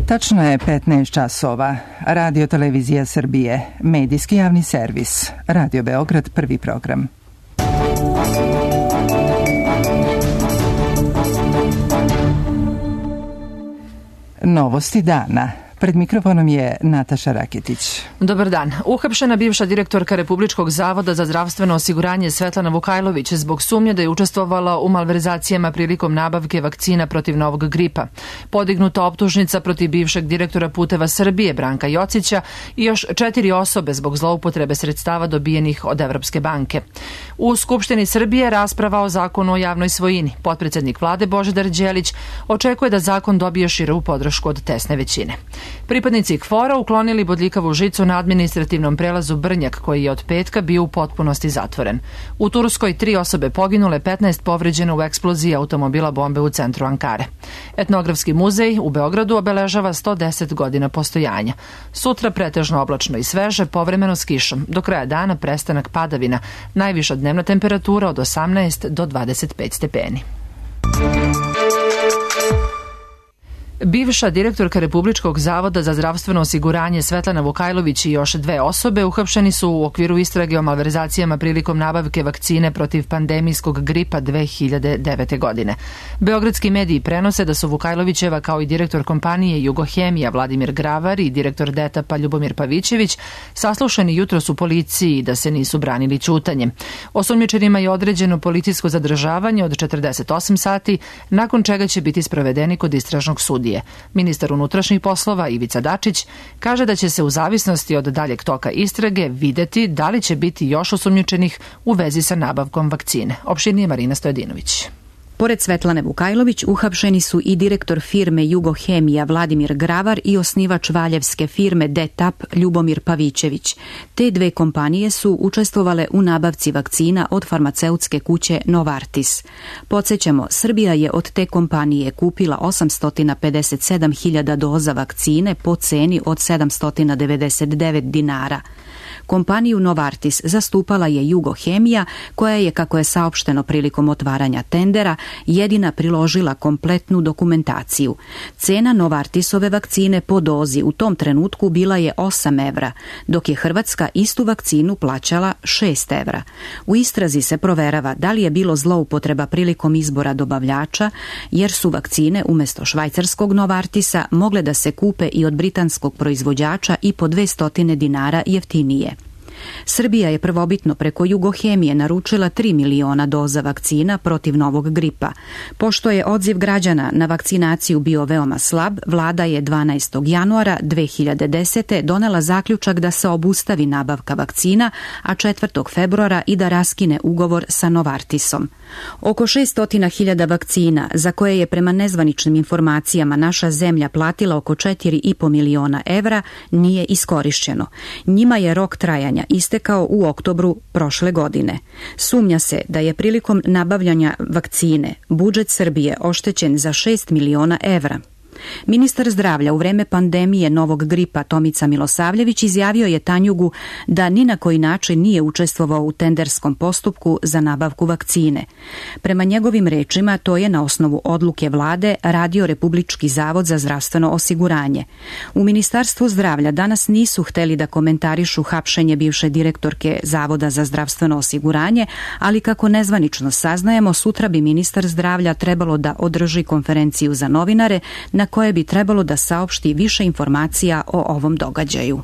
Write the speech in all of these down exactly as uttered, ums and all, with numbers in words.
Tačno je petnaest časova. Radio Televizija Srbije, medijski javni servis. Radio Beograd, prvi program. Novosti dana. Pred mikrofonom je Nataša Raketić. Dobar dan. Uhapšena bivša direktorka Republičkog zavoda za zdravstveno osiguranje Svetlana Vukajlović zbog sumnje da je učestvovala u malverzacijama prilikom nabavke vakcina protiv novog gripa. Podignuta optužnica protiv bivšeg direktora Puteva Srbije Branka Jocića i još četiri osobe zbog zloupotrebe sredstava dobijenih od Evropske banke. U Skupštini Srbije rasprava o zakonu o javnoj svojini. Potpredsednik vlade Božidar Đelić očekuje da zakon dobije širu podršku od tesne većine. Pripadnici KFOR-a uklonili bodljikavu žicu na administrativnom prelazu Brnjak, koji je od petka bio u potpunosti zatvoren. U Turskoj tri osobe poginule, petnaest povređeno u eksploziji automobila bombe u centru Ankare. Etnografski muzej u Beogradu obeležava sto deset godina postojanja. Sutra pretežno oblačno i sveže, povremeno s kišom. Do kraja dana prestanak padavina. Najviša dnevna temperatura od osamnaest do dvadeset pet stepeni. Bivša direktorka Republičkog zavoda za zdravstveno osiguranje Svetlana Vukajlović i još dve osobe uhapšeni su u okviru istrage o malverzacijama prilikom nabavke vakcine protiv pandemijskog gripa dve hiljade devete. godine. Beogradski mediji prenose da su Vukajlovićeva kao i direktor kompanije Jugohemija Vladimir Gravar i direktor D E T A P-a Ljubomir Pavićević saslušani jutros u policiji i da se nisu branili ćutanjem. Osumnjičenima je određeno policijsko zadržavanje od četrdeset osam sati, nakon čega će biti sprovedeni kod istražnog sudije. Ministar unutrašnjih poslova Ivica Dačić kaže da će se u zavisnosti od daljeg toka istrage videti da li će biti još osumnjičenih u vezi sa nabavkom vakcine. Opširnije Marina Stojadinović. Pored Svetlane Vukajlović, uhapšeni su i direktor firme Jugohemija Vladimir Gravar i osnivač valjevske firme D E T A P Ljubomir Pavićević. Te dve kompanije su učestvovale u nabavci vakcina od farmaceutske kuće Novartis. Podsjećamo, Srbija je od te kompanije kupila osamsto pedeset sedam hiljada doza vakcine po ceni od sedamsto devedeset devet dinara. Kompaniju Novartis zastupala je Jugohemija, koja je, kako je saopšteno prilikom otvaranja tendera, jedina priložila kompletnu dokumentaciju. Cena Novartisove vakcine po dozi u tom trenutku bila je osam evra, dok je Hrvatska istu vakcinu plaćala šest evra. U istrazi se proverava da li je bilo zloupotreba prilikom izbora dobavljača, jer su vakcine umjesto švajcarskog Novartisa mogle da se kupe i od britanskog proizvođača i po dvesta dinara jeftinije. Srbija je prvobitno preko Jugohemije naručila tri miliona doza vakcina protiv novog gripa. Pošto je odziv građana na vakcinaciju bio veoma slab, vlada je dvanaestog januara dve hiljade desete. donela zaključak da se obustavi nabavka vakcina, a četvrtog februara i da raskine ugovor sa Novartisom. Oko šest hiljada vakcina, za koje je prema nezvaničnim informacijama naša zemlja platila oko četiri i po miliona evra, nije iskorišćeno. Njima je rok trajanja istekao u oktobru prošle godine. Sumnja se da je prilikom nabavljanja vakcine budžet Srbije oštećen za šest miliona evra. Ministar zdravlja u vreme pandemije novog gripa Tomica Milosavljević izjavio je Tanjugu da ni na koji način nije učestvovao u tenderskom postupku za nabavku vakcine. Prema njegovim rečima, to je na osnovu odluke vlade radio Republički zavod za zdravstveno osiguranje. U Ministarstvu zdravlja danas nisu hteli da komentarišu hapšenje bivše direktorke Zavoda za zdravstveno osiguranje, ali kako nezvanično saznajemo, sutra bi ministar zdravlja trebalo da održi konferenciju za novinare na koje bi trebalo da saopšti više informacija o ovom događaju.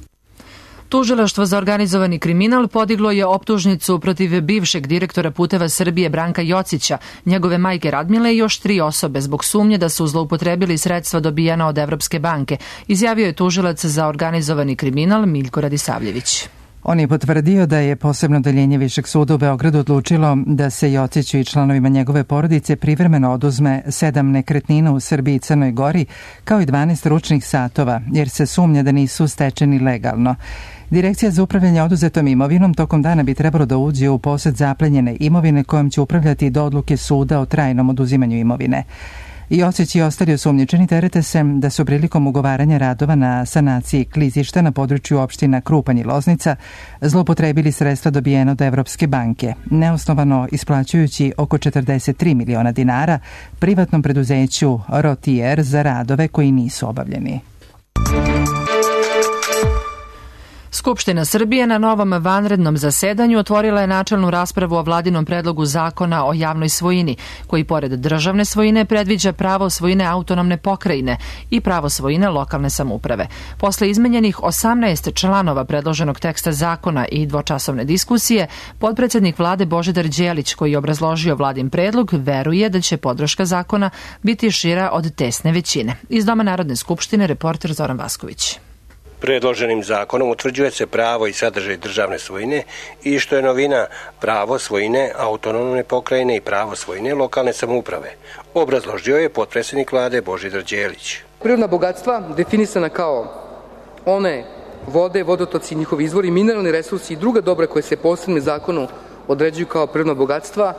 Tužilaštvo za organizovani kriminal podiglo je optužnicu protiv bivšeg direktora Puteva Srbije Branka Jocića, njegove majke Radmile i još tri osobe zbog sumnje da su zloupotrebili sredstva dobijena od Evropske banke, izjavio je tužilac za organizovani kriminal Miljko Radisavljević. On je potvrdio da je posebno odeljenje Višeg suda u Beogradu odlučilo da se Jociću i članovima njegove porodice privremeno oduzme sedam nekretnina u Srbiji i Crnoj Gori, kao i dvanaest ručnih satova, jer se sumnja da nisu stečeni legalno. Direkcija za upravljanje oduzetom imovinom tokom dana bi trebalo da uđe u posed zaplenjene imovine kojom će upravljati do odluke suda o trajnom oduzimanju imovine. Jocić i ostali osumnjičeni terete se da su prilikom ugovaranja radova na sanaciji klizišta na području opština Krupanj i Loznica zloupotrebili sredstva dobijena od Evropske banke, neosnovano isplaćujući oko četrdeset tri miliona dinara privatnom preduzeću Rotier za radove koji nisu obavljeni. Skupština Srbije na novom vanrednom zasedanju otvorila je načelnu raspravu o vladinom predlogu zakona o javnoj svojini, koji pored državne svojine predviđa pravo svojine autonomne pokrajine i pravo svojine lokalne samouprave. Posle izmenjenih osamnaest članova predloženog teksta zakona i dvočasovne diskusije, potpredsednik vlade Božidar Đelić, koji je obrazložio vladin predlog, veruje da će podrška zakona biti šira od tesne većine. Iz Doma Narodne skupštine reporter Zoran Vasković. Predloženim zakonom utvrđuje se pravo i sadržaj državne svojine i, što je novina, pravo svojine autonomne pokrajine i pravo svojine lokalne samouprave. Obrazložio je potpredsjednik vlade Božidar Đelić. Prirodna bogatstva definisana kao one vode, vodotoci, njihovi izvori, mineralni resursi i druga dobra koje se posebnim zakonu određuju kao prirodna bogatstva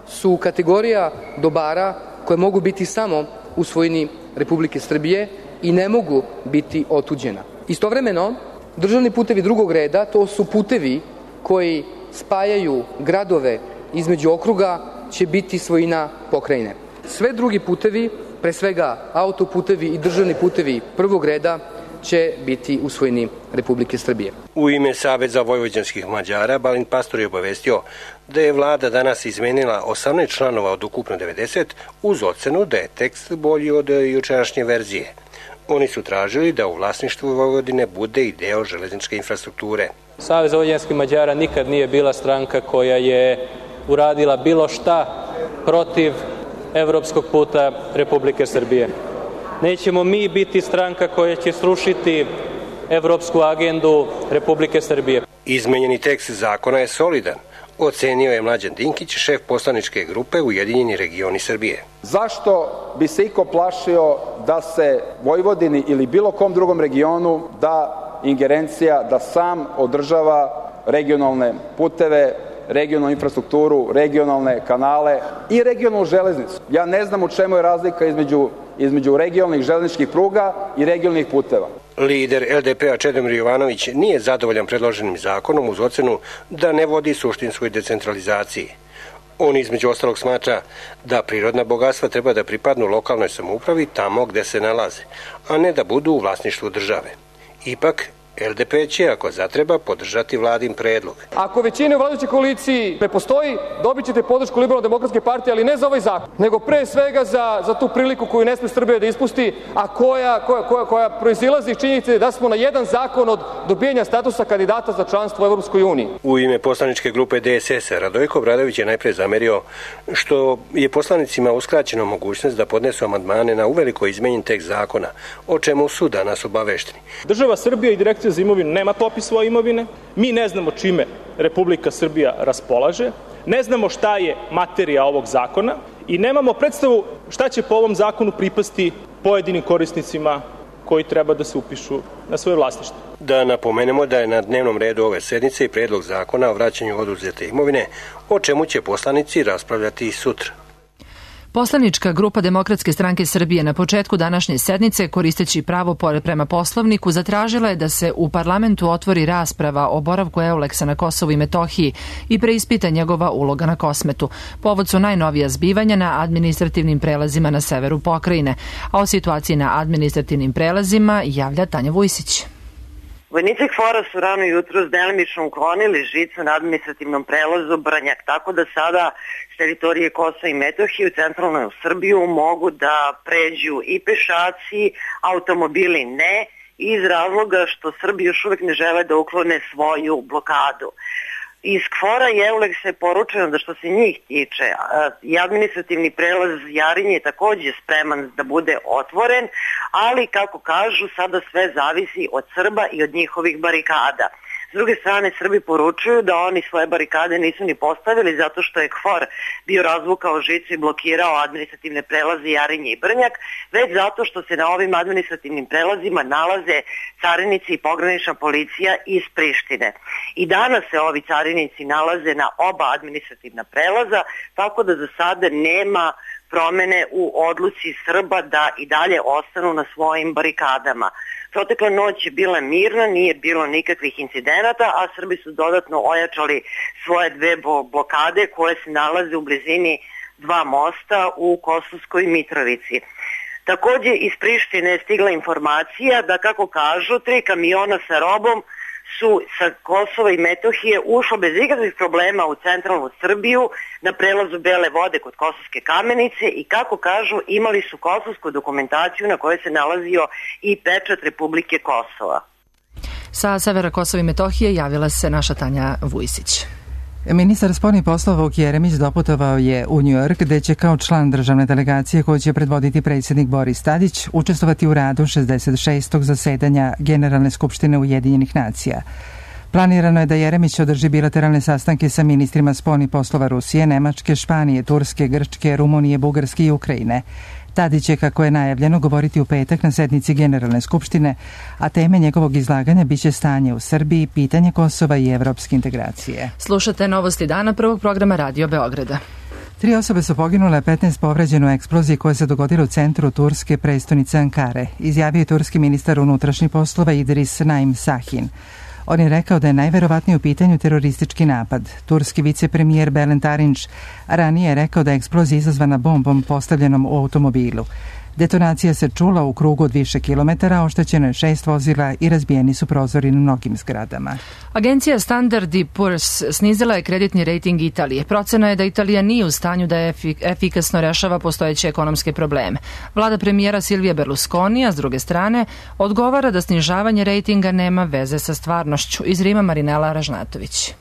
su kategorija dobara koje mogu biti samo u svojini Republike Srbije i ne mogu biti otuđena. Istovremeno, državni putevi drugog reda, to su putevi koji spajaju gradove između okruga, će biti svojina pokrajine. Sve drugi putevi, pre svega autoputevi i državni putevi prvog reda, će biti u svojini Republike Srbije. U ime Saveza vojvođanskih Mađara Balint Pastor je obavestio da je vlada danas izmenila osamnaest članova od ukupno devedeset uz ocenu da je tekst bolji od jučerašnje verzije. Oni su tražili da u vlasništvu Vojvodine bude i deo železničke infrastrukture. Savez vojvođanskih Mađara nikad nije bila stranka koja je uradila bilo šta protiv evropskog puta Republike Srbije. Nećemo mi biti stranka koja će srušiti evropsku agendu Republike Srbije. Izmenjeni tekst zakona je solidan, ocenio je Mlađan Dinkić, šef poslaničke grupe Ujedinjeni regioni Srbije. Zašto bi se iko plašio da se Vojvodini ili bilo kom drugom regionu da ingerencija da sam održava regionalne puteve, regionalnu infrastrukturu, regionalne kanale i regionalnu železnicu? Ja ne znam u čemu je razlika između, između regionalnih železničkih pruga i regionalnih puteva. Lider L D P-a Čedomir Jovanović nije zadovoljan predloženim zakonom uz ocenu da ne vodi suštinskoj decentralizaciji. On između ostalog smatra da prirodna bogatstva treba da pripadnu lokalnoj samoupravi tamo gde se nalaze, a ne da budu u vlasništvu države. Ipak, L D P će, ako zatreba, podržati vladin predlog. Ako većine u vladajućoj koaliciji ne postoji, dobit ćete podršku Liberalno-demokratske partije, ali ne za ovaj zakon, nego pre svega za, za tu priliku koju ne sme Srbija da ispusti, a koja, koja, koja, koja proizilazi iz činjenice da smo na jedan zakon od dobijanja statusa kandidata za članstvo u Evropskoj uniji. U ime poslaničke grupe D S S-a Radojko Obradović je najpre zamerio što je poslanicima uskraćena mogućnost da podnesu amandmane na uveliko izmenjen tekst zakona, o čemu su danas obavešteni. Država Srbija i Direkcija za imovinu nema popis svoje imovine, mi ne znamo čime Republika Srbija raspolaže, ne znamo šta je materija ovog zakona i nemamo predstavu šta će po ovom zakonu pripasti pojedinim korisnicima koji treba da se upišu na svoje vlasništvo. Da napomenemo da je na dnevnom redu ove sednice i predlog zakona o vraćanju oduzete imovine, o čemu će poslanici raspravljati i sutra. Poslanička grupa Demokratske stranke Srbije na početku današnje sednice, koristeći pravo prema Poslovniku, zatražila je da se u parlamentu otvori rasprava o boravku Euleksa na Kosovu i Metohiji i preispita njegova uloga na Kosmetu. Povod su najnovija zbivanja na administrativnim prelazima na severu pokrajine, a o situaciji na administrativnim prelazima javlja Tanja Vujsić. Vojnici KFOR-a su rano jutro delimično uklonili žicu na administrativnom prelazu Brnjak, tako da sada s teritorije Kosova i Metohije u centralnu Srbiju mogu da pređu i pešaci, automobili ne, iz razloga što Srbi još uvek ne žele da uklone svoju blokadu. Iz KFOR-a i Euleksa je poručeno da što se njih tiče, i administrativni prelaz Jarinje je takođe spreman da bude otvoren, ali kako kažu sada sve zavisi od Srba i od njihovih barikada. S druge strane, Srbi poručuju da oni svoje barikade nisu ni postavili zato što je KFOR bio razvukao žicu i blokirao administrativne prelaze Jarinje i Brnjak, već zato što se na ovim administrativnim prelazima nalaze carinici i pogranična policija iz Prištine. I danas se ovi carinici nalaze na oba administrativna prelaza, tako da za sada nema promene u odluci Srba da i dalje ostanu na svojim barikadama. Protekla noć je bila mirna, nije bilo nikakvih incidenata, a Srbi su dodatno ojačali svoje dve blokade koje se nalaze u blizini dva mosta u Kosovskoj Mitrovici. Takođe iz Prištine je stigla informacija da, kako kažu, tri kamiona sa robom su sa Kosova i Metohije ušlo bez ikakvih problema u centralnu Srbiju na prelazu Bele vode kod Kosovske Kamenice i kako kažu imali su kosovsku dokumentaciju na kojoj se nalazio i pečat Republike Kosova. Sa severa Kosova i Metohije javila se naša Tanja Vujsić. Ministar spoljnih poslova Vuk Jeremić doputovao je u Njujork, gde će kao član državne delegacije koju će predvoditi predsjednik Boris Tadić učestvovati u radu šezdeset šestog zasedanja Generalne skupštine Ujedinjenih nacija. Planirano je da Jeremić održi bilateralne sastanke sa ministrima spoljnih poslova Rusije, Nemačke, Španije, Turske, Grčke, Rumunije, Bugarske i Ukrajine. Tadić će, kako je najavljeno, govoriti u petak na sednici Generalne skupštine, a teme njegovog izlaganja biće stanje u Srbiji, pitanje Kosova i evropske integracije. Slušate Novosti dana prvog programa Radio Beograda. Tri osobe su poginule, petnaest povređeno u eksploziji koja se dogodila u centru turske prestonice Ankare, izjavio je turski ministar unutrašnjih poslova Idris Naim Sahin. On je rekao da je najverovatnije u pitanju teroristički napad. Turski vicepremijer Bülent Arınç ranije je rekao da je eksplozija izazvana bombom postavljenom u automobilu. Detonacija se čula u krugu od više kilometara, oštećeno je šest vozila i razbijeni su prozori na mnogim zgradama. Agencija Standard and Poor's snizila je kreditni rejting Italije. Procena je da Italija nije u stanju da efikasno rešava postojeće ekonomske probleme. Vlada premijera Silvija Berlusconija, s druge strane, odgovara da snižavanje rejtinga nema veze sa stvarnošću. Iz Rima Marinela Ražnatović.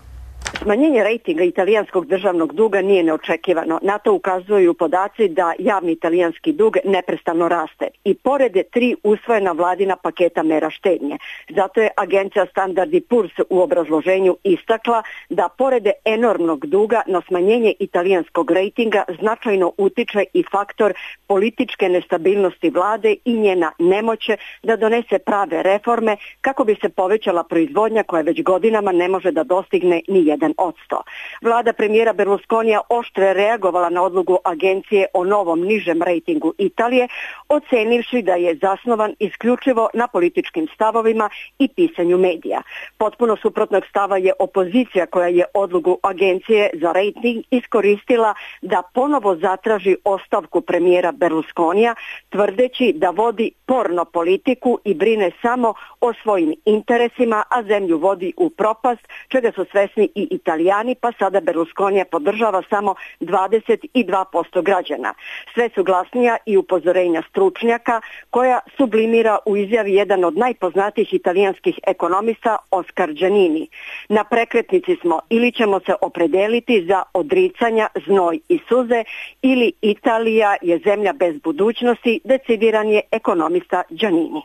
Smanjenje rejtinga italijanskog državnog duga nije neočekivano. Na to ukazuju podaci da javni italijanski dug neprestano raste i pored tri usvojena vladina paketa mera štednje. Zato je agencija Standard and Poor's u obrazloženju istakla da pored enormnog duga na smanjenje italijanskog rejtinga značajno utiče i faktor političke nestabilnosti vlade i njena nemoće da donese prave reforme kako bi se povećala proizvodnja koja već godinama ne može da dostigne ni jedan odsto. Vlada premijera Berlusconija oštro je reagovala na odluku agencije o novom nižem rejtingu Italije, ocenivši da je zasnovan isključivo na političkim stavovima i pisanju medija. Potpuno suprotnog stava je opozicija koja je odluku agencije za rejting iskoristila da ponovo zatraži ostavku premijera Berlusconija, tvrdeći da vodi porno politiku i brine samo o svojim interesima, a zemlju vodi u propast, čega su svesni i Italijani, pa sada Berlusconija podržava samo dvadeset dva posto građana. Sve su glasnija i upozorenja stručnjaka koja sublimira u izjavi jedan od najpoznatijih italijanskih ekonomista Oscar Giannini. Na prekretnici smo, ili ćemo se opredeliti za odricanja, znoj i suze, ili Italija je zemlja bez budućnosti, decidiran je ekonomista Giannini.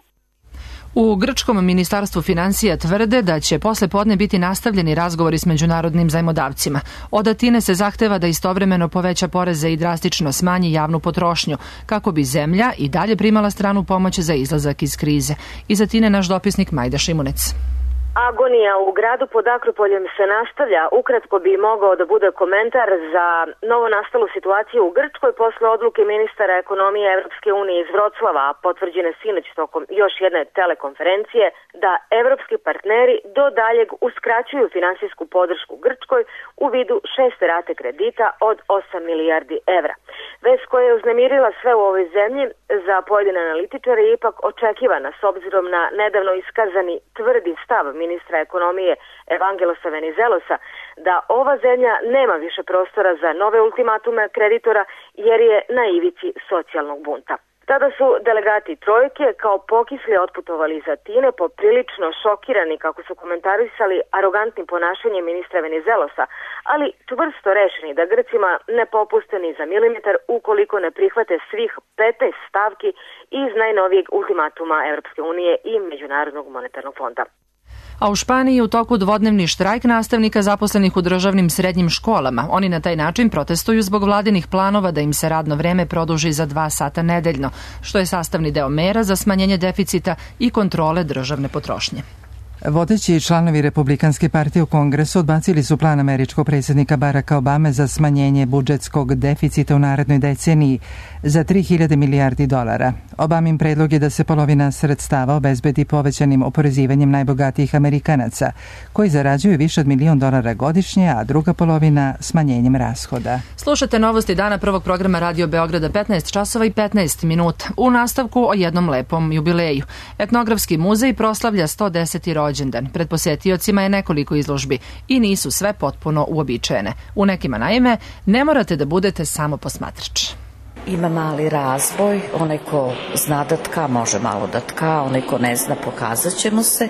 U grčkom ministarstvu finansija tvrde da će posle podne biti nastavljeni razgovori s međunarodnim zajmodavcima. Od Atine se zahteva da istovremeno poveća poreze i drastično smanji javnu potrošnju, kako bi zemlja i dalje primala stranu pomoć za izlazak iz krize. Iz Atine naš dopisnik Majda Šimunec. Agonija u gradu pod Akropoljem se nastavlja. Ukratko bi mogao da bude komentar za novo nastalu situaciju u Grčkoj posle odluke ministara ekonomije Evropske unije iz Vroclava, potvrđene sinoć tokom još jedne telekonferencije, da evropski partneri do daljeg uskraćuju finansijsku podršku Grčkoj u vidu šeste rate kredita od osam milijardi evra. Vest koja je uznemirila sve u ovoj zemlji za pojedine analitičare je ipak očekivana s obzirom na nedavno iskazani tvrdi stav ministra ekonomije Evangelosa Venizelosa da ova zemlja nema više prostora za nove ultimatume kreditora jer je na ivici socijalnog bunta. Tada su delegati trojke kao pokisli otputovali iz Atine, poprilično šokirani, kako su komentarisali, arogantnim ponašanjem ministra Venizelosa, ali čvrsto rešeni da Grcima ne popuste ni za milimetar ukoliko ne prihvate svih petnaest stavki iz najnovijeg ultimatuma Evropske unije i Međunarodnog monetarnog fonda. A u Španiji je u toku dvodnevni štrajk nastavnika zaposlenih u državnim srednjim školama. Oni na taj način protestuju zbog vladinih planova da im se radno vreme produži za dva sata nedeljno, što je sastavni deo mera za smanjenje deficita i kontrole državne potrošnje. Vodeći članovi Republikanske partije u Kongresu odbacili su plan američkog predsjednika Baracka Obame za smanjenje budžetskog deficita u narednoj deceniji za tri hiljade milijardi dolara. Obamin predlog je da se polovina sredstava obezbedi povećanim oporezivanjem najbogatijih Amerikanaca, koji zarađuju više od milion dolara godišnje, a druga polovina smanjenjem rashoda. Slušate novosti dana prvog programa Radio Beograda, petnaest časova i petnaest minuta. U nastavku o jednom lepom jubileju. Etnografski muzej proslavlja sto deseti rođendan rođendan. Pred posetiocima je nekoliko izložbi i nisu sve potpuno uobičajene. U nekima, naime, ne morate da budete samo posmatrač. Ima mali razvoj, onaj ko zna da tka može malo da tka, onaj ko ne zna pokazat ćemo se.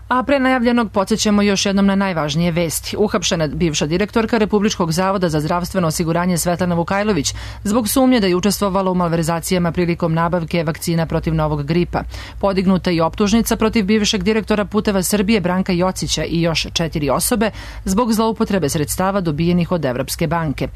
A pre najavljenog podsjećamo još jednom na najvažnije vesti. Uhapšena bivša direktorka Republičkog zavoda za zdravstveno osiguranje Svetlana Vukajlović zbog sumnje da je učestvovala u malverzacijama prilikom nabavke vakcina protiv novog gripa. Podignuta je optužnica protiv bivšeg direktora Puteva Srbije Branka Jocića i još četiri osobe zbog zloupotrebe sredstava dobijenih od Evropske banke.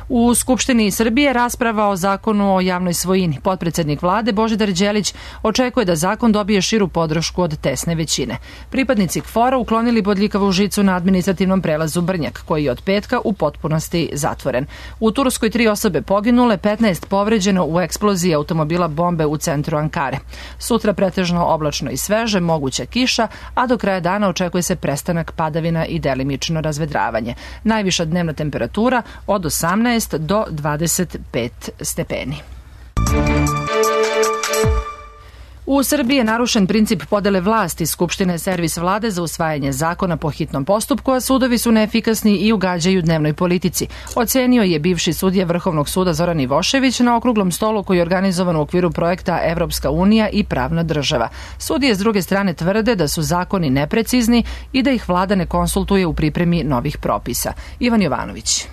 U Skupštini Srbije rasprava o zakonu o javnoj svojini. Potpredsednik vlade Božidar Đelić očekuje da zakon dobije širu podršku od tesne većine. Pripadnici K F O R-a uklonili bodljikavu žicu na administrativnom prelazu Brnjak, koji je od petka u potpunosti zatvoren. U Turskoj tri osobe poginule, petnaest povređeno u eksploziji automobila bombe u centru Ankare. Sutra pretežno oblačno i sveže, moguća kiša, a do kraja dana očekuje se prestanak padavina i delimično razvedravanje. Najviša dnevna temperatura od osamnaest do dvadeset pet stepeni. U Srbiji je narušen princip podele vlasti. Skupština je servis vlade za usvajanje zakona po hitnom postupku, a sudovi su neefikasni i ugađaju dnevnoj politici. Ocenio je bivši sudija Vrhovnog suda Zoran Ivošević na okruglom stolu koji je organizovan u okviru projekta Evropska unija i pravna država. Sudije s druge strane tvrde da su zakoni neprecizni i da ih vlada ne konsultuje u pripremi novih propisa. Ivan Jovanović.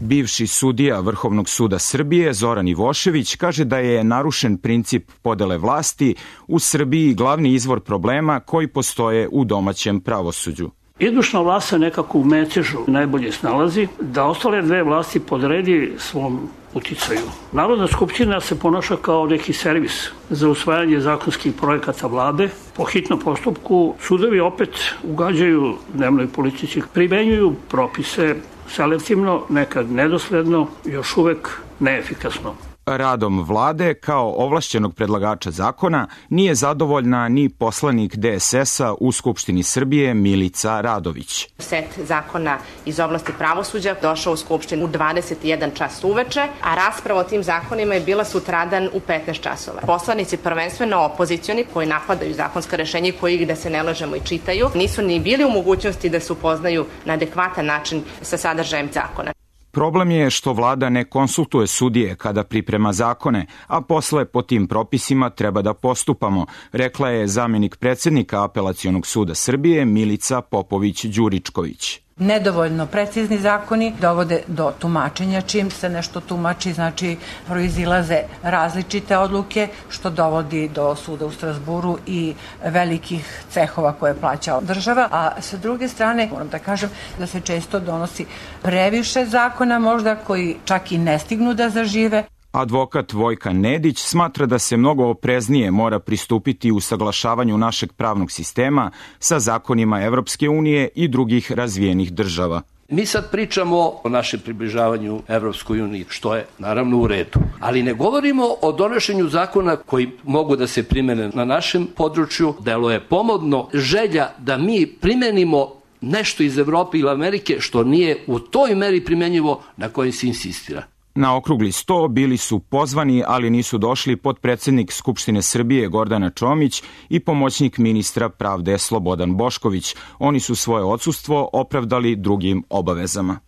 Bivši sudija Vrhovnog suda Srbije Zoran Ivošević kaže da je narušen princip podele vlasti u Srbiji glavni izvor problema koji postoje u domaćem pravosuđu. Izvršna vlast se nekako u mecežu najbolje snalazi da ostale dve vlasti podredi svom uticaju. Narodna skupština se ponaša kao neki servis za usvajanje zakonskih projekata vlade. Po hitnom postupku sudovi opet ugađaju dnevnoj politici, primenjuju propise selektivno, nekad nedosledno, još uvek neefikasno. Radom vlade kao ovlašćenog predlagača zakona nije zadovoljna ni poslanik D S S-a u Skupštini Srbije Milica Radović. Set zakona iz oblasti pravosuđa došao u Skupštinu u dvadeset jedan čas uveče, a rasprava o tim zakonima je bila sutradan u petnaest časova. Poslanici, prvenstveno opozicioni, koji napadaju zakonska rešenja i koji ih, da se ne lažemo, i čitaju, nisu ni bili u mogućnosti da se upoznaju na adekvatan način sa sadržajem zakona. Problem je što vlada ne konsultuje sudije kada priprema zakone, a posle po tim propisima treba da postupamo, rekla je zamenik predsednika Apelacionog suda Srbije Milica Popović-Đuričković. Nedovoljno precizni zakoni dovode do tumačenja. Čim se nešto tumači, znači proizilaze različite odluke, što dovodi do suda u Strazburu i velikih cehova koje plaća država. A sa druge strane, moram da kažem da se često donosi previše zakona možda koji čak i ne stignu da zažive. Advokat Vojka Nedić smatra da se mnogo opreznije mora pristupiti u saglašavanju našeg pravnog sistema sa zakonima Evropske unije i drugih razvijenih država. Mi sad pričamo o našem približavanju Evropskoj uniji, što je naravno u redu. Ali ne govorimo o donošenju zakona koji mogu da se primene na našem području. Delo je pomodno želja da mi primenimo nešto iz Evrope ili Amerike što nije u toj meri primenjivo na kojoj se insistira. Na okrugli sto bili su pozvani, ali nisu došli potpredsednik Skupštine Srbije Gordana Čomić i pomoćnik ministra pravde Slobodan Bošković. Oni su svoje odsustvo opravdali drugim obavezama.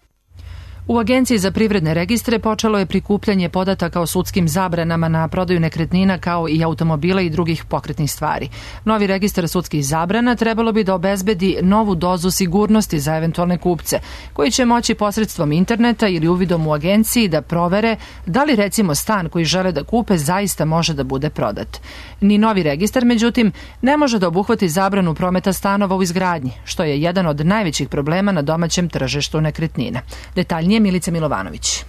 U Agenciji za privredne registre počelo je prikupljanje podataka o sudskim zabranama na prodaju nekretnina kao i automobila i drugih pokretnih stvari. Novi registar sudskih zabrana trebalo bi da obezbedi novu dozu sigurnosti za eventualne kupce, koji će moći posredstvom interneta ili uvidom u agenciji da provere da li recimo stan koji žele da kupe zaista može da bude prodat. Ni novi registar, međutim, ne može da obuhvati zabranu prometa stanova u izgradnji, što je jedan od najvećih problema na domaćem tržištu nekretnina. Detaljnije Milica Milovanović.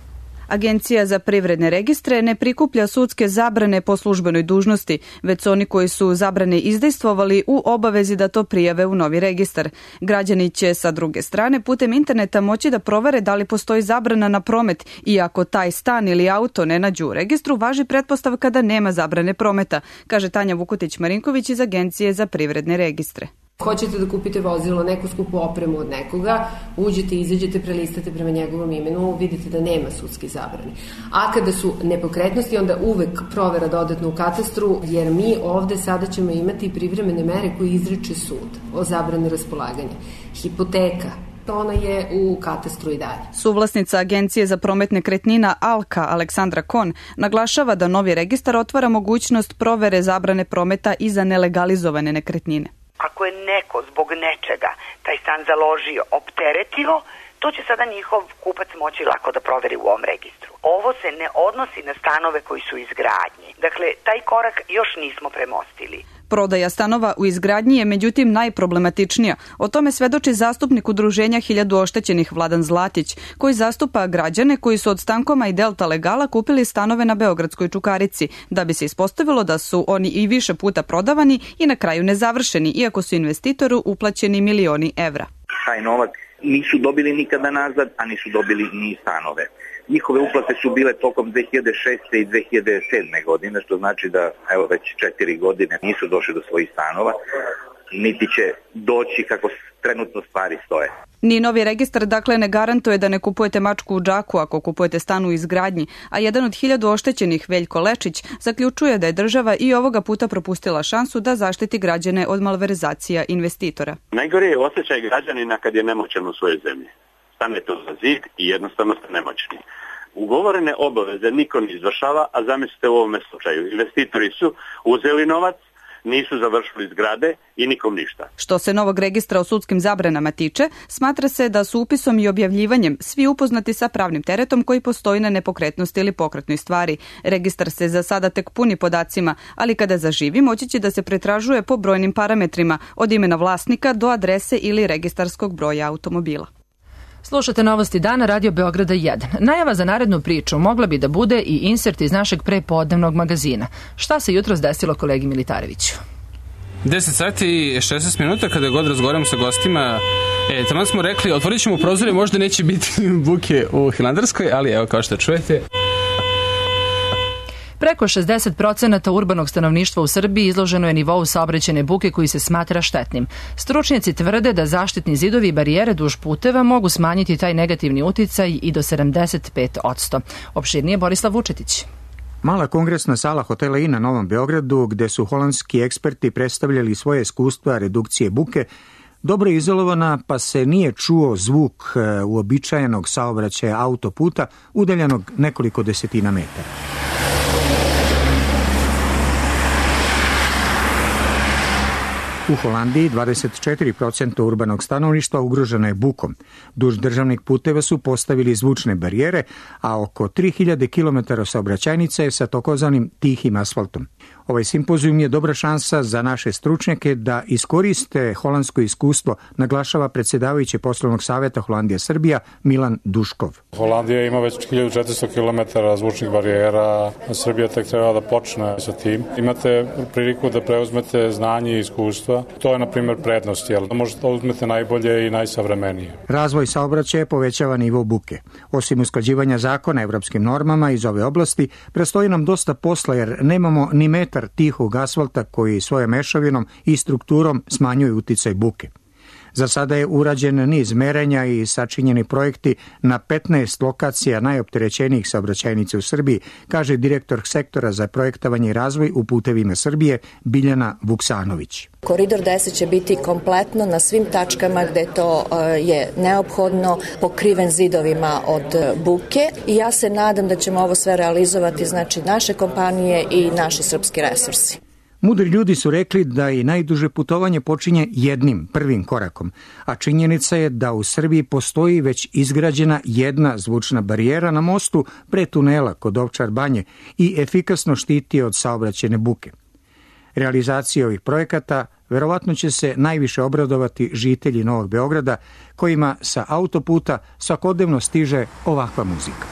Agencija za privredne registre ne prikuplja sudske zabrane po službenoj dužnosti, već oni koji su zabrane izdejstvovali u obavezi da to prijave u novi registar. Građani će sa druge strane putem interneta moći da provere da li postoji zabrana na promet i ako taj stan ili auto ne nađu u registru, važi pretpostavka da nema zabrane prometa, kaže Tanja Vukotić-Marinković iz Agencije za privredne registre. Hoćete da kupite vozilo, neku skupu opremu od nekoga, uđete, izađete, prelistate prema njegovom imenu, vidite da nema sudske zabrane. A kada su nepokretnosti, onda uvek provera dodatno u katastru, jer mi ovde sada ćemo imati privremene mere koje izriče sud o zabrani raspolaganja. Hipoteka, ona je u katastru i dalje. Suvlasnica Agencije za promet nekretnina Alka, Aleksandra Kon, naglašava da novi registar otvara mogućnost provere zabrane prometa i za nelegalizovane nekretnine. Ako je neko zbog nečega taj stan založio, opteretio, to će sada njihov kupac moći lako da proveri u ovom registru. Ovo se ne odnosi na stanove koji su izgradnji. Dakle, taj korak još nismo premostili. Prodaja stanova u izgradnji je međutim najproblematičnija. O tome svedoči zastupnik udruženja Hiljadu oštećenih Vladan Zlatić, koji zastupa građane koji su od Stankoma i Delta Legala kupili stanove na Beogradskoj Čukarici, da bi se ispostavilo da su oni i više puta prodavani i na kraju nezavršeni, iako su investitoru uplaćeni milioni evra. Taj novac nisu dobili nikada nazad, a nisu dobili ni stanove. Njihove uplate su bile tokom dve hiljade šeste i dve hiljade sedme godine, što znači da evo već četiri godine nisu došli do svojih stanova, niti će doći kako trenutno stvari stoje. Ni novi registar dakle ne garantuje da ne kupujete mačku u džaku ako kupujete stan u izgradnji, a jedan od hiljadu oštećenih, Veljko Lečić, zaključuje da je država i ovoga puta propustila šansu da zaštiti građane od malverzacija investitora. Najgore je osjećaj građanina kad je nemoćan u svojoj zemlji. Stanete za zid i jednostavno ste nemoćni. Ugovorene obaveze niko ne izvršava, a zamislite u ovome slučaju. Investitori su uzeli novac, nisu završili zgrade i nikom ništa. Što se novog registra o sudskim zabranama tiče, smatra se da su upisom i objavljivanjem svi upoznati sa pravnim teretom koji postoji na nepokretnosti ili pokretnoj stvari. Registar se za sada tek puni podacima, ali kada zaživi moći će da se pretražuje po brojnim parametrima, od imena vlasnika do adrese ili registarskog broja automobila. Slušate Novosti dana, Radio Beograda jedan. Najava za narednu priču mogla bi da bude i insert iz našeg prepodnevnog magazina. Šta se jutros desilo kolegi Militareviću? deset sati i šesnaest minuta kada god razgovaramo sa gostima. E, tamo smo rekli, otvorit ćemo prozore, možda neće biti buke u Hilandarskoj, ali evo kao što čujete. Preko šezdeset procenata urbanog stanovništva u Srbiji izloženo je nivou saobraćajne buke koji se smatra štetnim. Stručnjaci tvrde da zaštitni zidovi i barijere duž puteva mogu smanjiti taj negativni uticaj i do sedamdeset pet posto. Opširnije Borislav Vučetić. Mala kongresna sala hotela I na Novom Beogradu, gde su holandski eksperti predstavljali svoje iskustva redukcije buke, dobro je izolovana, pa se nije čuo zvuk uobičajenog saobraćaja autoputa udaljenog nekoliko desetina metara. U Holandiji dvadeset četiri posto urbanog stanovništva ugroženo je bukom. Duž državnih puteva su postavili zvučne barijere, a oko tri hiljade kilometara saobraćajnica je sa takozvanim tihim asfaltom. Ovaj simpozijum je dobra šansa za naše stručnjake da iskoriste holandsko iskustvo, naglašava predsjedavajući poslovnog savjeta Holandija Srbija Milan Duškov. Holandija ima već hiljadu četiristo kilometara zvučnih barijera, Srbija tek treba da počne sa tim. Imate priliku da preuzmete znanje i iskustva. To je, na primjer, prednost, jer možete da uzmete najbolje i najsavremenije. Razvoj saobraćaja povećava nivo buke. Osim usklađivanja zakona evropskim normama iz ove oblasti, prestoji nam dosta posla jer nemamo ni metar tihog asfalta koji svojom mešavinom i strukturom smanjuje uticaj buke. Za sada je urađen niz merenja i sačinjeni projekti na petnaest lokacija najopterećenijih saobraćajnica u Srbiji, kaže direktor sektora za projektovanje i razvoj u putevima Srbije Biljana Vuksanović. Koridor deset će biti kompletno na svim tačkama gde to je neophodno pokriven zidovima od buke i ja se nadam da ćemo ovo sve realizovati, znači naše kompanije i naši srpski resursi. Mudri ljudi su rekli da i najduže putovanje počinje jednim, prvim korakom, a činjenica je da u Srbiji postoji već izgrađena jedna zvučna barijera na mostu pre tunela kod Ovčar Banje i efikasno štiti od saobraćajne buke. Realizacija ovih projekata verovatno će se najviše obradovati žitelji Novog Beograda, kojima sa autoputa svakodnevno stiže ovakva muzika.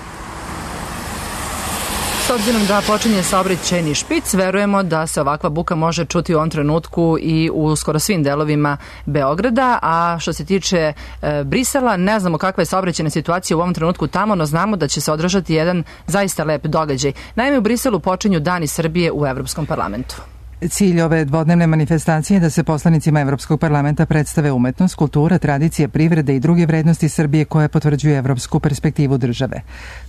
S obzirom da počinje saobraćajni špic, verujemo da se ovakva buka može čuti u ovom trenutku i u skoro svim delovima Beograda, a što se tiče e, Brisela, ne znamo kakva je saobraćajna situacija u ovom trenutku tamo, no znamo da će se održati jedan zaista lep događaj. Naime, u Briselu počinju Dani Srbije u Evropskom parlamentu. Cilj ove dvodnevne manifestacije je da se poslanicima Evropskog parlamenta predstave umetnost, kultura, tradicije, privrede i druge vrednosti Srbije koje potvrđuju evropsku perspektivu države.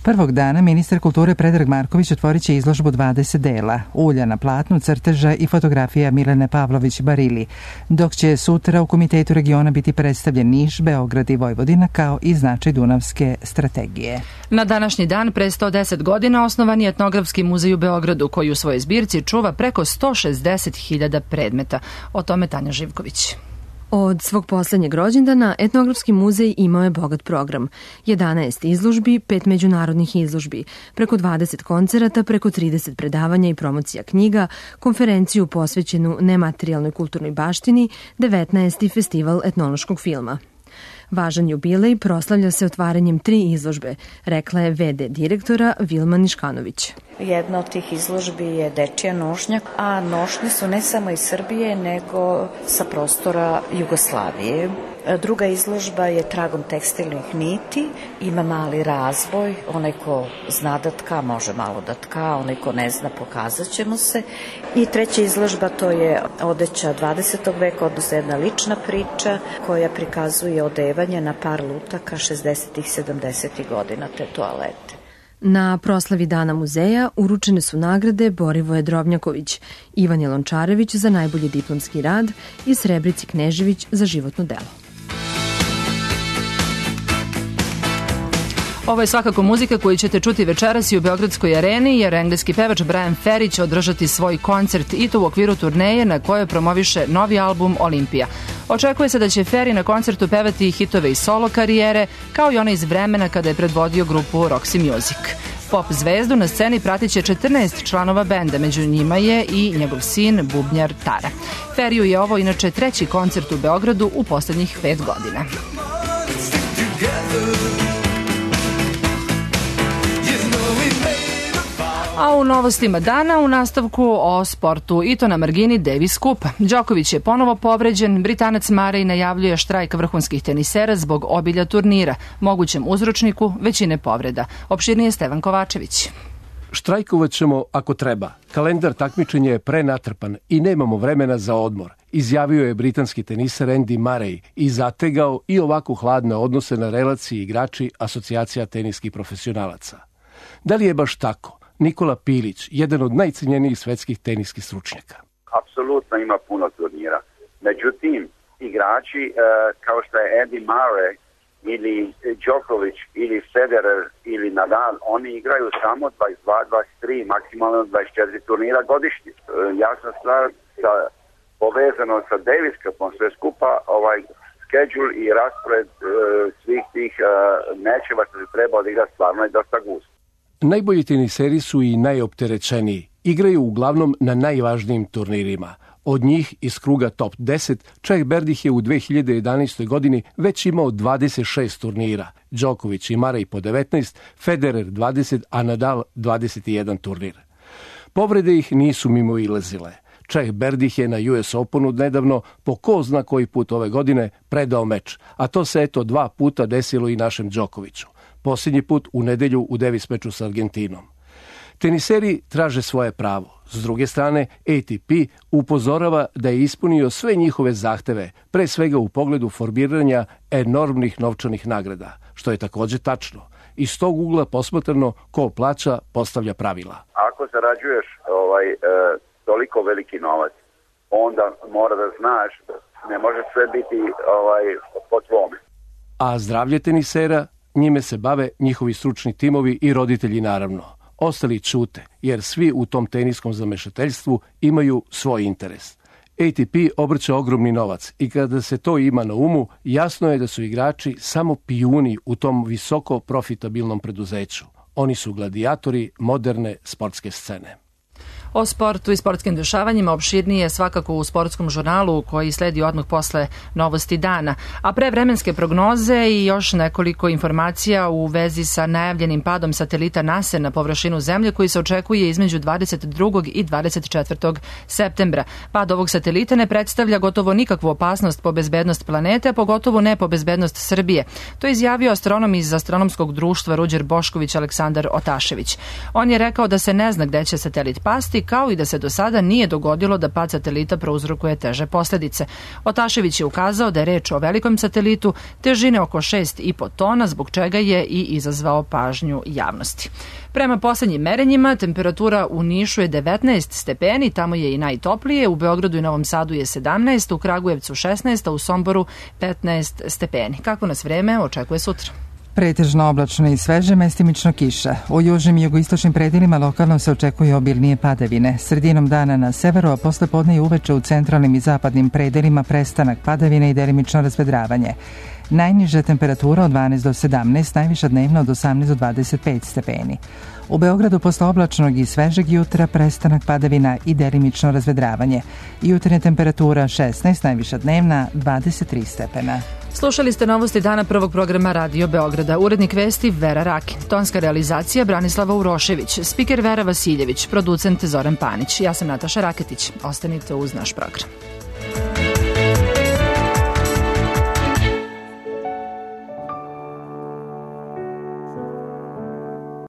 Prvog dana ministar kulture Predrag Marković otvorit će izložbu dvadeset dela, ulja na platnu, crteža i fotografija Milene Pavlović-Barili, dok će sutra u Komitetu regiona biti predstavljen Niš, Beograd i Vojvodina kao i značaj Dunavske strategije. Na današnji dan pre sto deset godina osnovan je Etnografski muzej u Beogradu koji u svojoj zbirci čuva preko sto šezdeset hiljada predmeta. O tome Tanja Živković. Od svog poslednjeg rođendana Etnografski muzej imao je bogat program. jedanaest izložbi, pet međunarodnih izložbi, preko dvadeset koncerata, preko trideset predavanja i promocija knjiga, konferenciju posvećenu nematerijalnoj kulturnoj baštini, devetnaesti festival etnološkog filma. Važan jubilej proslavlja se otvaranjem tri izložbe, rekla je ve de direktora Vilma Niškanović. Jedna od tih izložbi je dečija nošnja, a nošnje su ne samo iz Srbije, nego sa prostora Jugoslavije. Druga izložba je tragom tekstilnih niti, ima mali razvoj, onaj ko zna da tka može malo da tka, onaj ko ne zna pokazat će mu se. I treća izložba to je odeća dvadesetog veka, odnosno jedna lična priča koja prikazuje odevanje na par lutaka šezdesetih i sedamdesetih godina te toalete. Na proslavi Dana muzeja uručene su nagrade Borivoje Drobnjaković, Ivan Jelončarević za najbolji diplomski rad i Srebrici Knežević za životno delo. Ovo je svakako muzika koju ćete čuti večeras i u Beogradskoj areni, jer engleski pevač Brian Ferry će održati svoj koncert i to u okviru turneje na kojoj promoviše novi album Olimpija. Očekuje se da će Ferry na koncertu pevati hitove iz solo karijere, kao i one iz vremena kada je predvodio grupu Roxy Music. Pop zvezdu na sceni pratit će četrnaest članova benda, među njima je i njegov sin, bubnjar Tara. Ferryu je ovo inače treći koncert u Beogradu u poslednjih pet godina. A u novostima dana u nastavku o sportu i to na margini Davis Cupa. Đoković je ponovo povređen, Britanac Murray najavljuje štrajk vrhunskih tenisera zbog obilja turnira, mogućem uzročniku većine povreda. Opširnije Stevan Kovačević. Štrajkovat ćemo ako treba. Kalendar takmičenja je prenatrpan i nemamo vremena za odmor, izjavio je britanski teniser Andy Murray i zategao i ovako hladne odnose na relaciji igrači Asocijacija teniskih profesionalaca. Da li je baš tako? Nikola Pilić, jedan od najcenjenijih svetskih teniskih stručnjaka. Apsolutno ima puno turnira. Međutim, igrači e, kao što je Andy Murray ili Djokovic ili Federer ili Nadal, oni igraju samo dvadeset dva, dvadeset tri, maksimalno dvadeset četiri turnira godišnje. E, jasna stvar, sa, povezano sa Davis Cupom sve skupa, ovaj schedule i raspored e, svih tih e, mečeva što se treba odigrati stvarno je dosta gust. Najbolji teniseri su i najopterećeniji. Igraju uglavnom na najvažnijim turnirima. Od njih iz kruga top deset, Čeh Berdih je u dve hiljade jedanaestoj godini već imao dvadeset šest turnira. Đoković i Murray po devetnaest, Federer dvadeset, a Nadal dvadeset jedan turnir. Povrede ih nisu mimo ilazile. Čeh Berdih je na U S Openu nedavno, po ko zna koji put ove godine, predao meč, a to se eto dva puta desilo i našem Đokoviću. Posljednji put u nedelju u Davis meču sa Argentinom. Teniseri traže svoje pravo. S druge strane, A T P upozorava da je ispunio sve njihove zahteve, pre svega u pogledu formiranja enormnih novčanih nagrada, što je također tačno. Iz tog ugla posmatrano, ko plaća, postavlja pravila. Ako zarađuješ ovaj, e, toliko veliki novac, onda mora da znaš da ne može sve biti ovaj, po tvome. A zdravlje tenisera, njime se bave njihovi stručni timovi i roditelji naravno. Ostali ćute, jer svi u tom teniskom zamešateljstvu imaju svoj interes. A T P obrće ogromni novac i kada se to ima na umu, jasno je da su igrači samo pijuni u tom visoko profitabilnom preduzeću. Oni su gladijatori moderne sportske scene. O sportu i sportskim dešavanjima opširnije svakako u sportskom žurnalu koji sledi odmah posle novosti dana. A pre vremenske prognoze i još nekoliko informacija u vezi sa najavljenim padom satelita NASA na površinu Zemlje koji se očekuje između dvadeset drugog i dvadeset četvrtog septembra. Pad ovog satelita ne predstavlja gotovo nikakvu opasnost po bezbednost planete, a pogotovo ne po bezbednost Srbije. To je izjavio astronom iz astronomskog društva Ruđer Bošković Aleksandar Otašević. On je rekao da se ne zna gde će satelit pasti aktivnosti, kao i da se do sada nije dogodilo da pad satelita prouzrokuje teže posledice. Otašević je ukazao da je reč o velikom satelitu težine oko šest i po tona, zbog čega je i izazvao pažnju javnosti. Prema poslednjim merenjima, temperatura u Nišu je devetnaest stepeni, tamo je i najtoplije, u Beogradu i Novom Sadu je sedamnaest, u Kragujevcu šesnaest, a u Somboru petnaest stepeni. Kako nas vreme očekuje sutra? Pretežno oblačno i sveže, mestimično kiša. U južnim i jugoistočnim predelima lokalno se očekuje obilnije padavine. Sredinom dana na severu, a posle podne i uveče u centralnim i zapadnim predelima prestanak padavine i delimično razvedravanje. Najniža temperatura od dvanaest do sedamnaest, najviša dnevna od osamnaest do dvadeset pet stepeni. U Beogradu posle oblačnog i svežeg jutra prestanak padavina i delimično razvedravanje. Jutarnja temperatura šesnaest, najviša dnevna dvadeset tri stepena. Slušali ste novosti dana prvog programa Radio Beograda. Urednik vesti Vera Rakin. Tonska realizacija Branislava Urošević. Spiker Vera Vasiljević. Producent Zoran Panić. Ja sam Nataša Raketić. Ostanite uz naš program.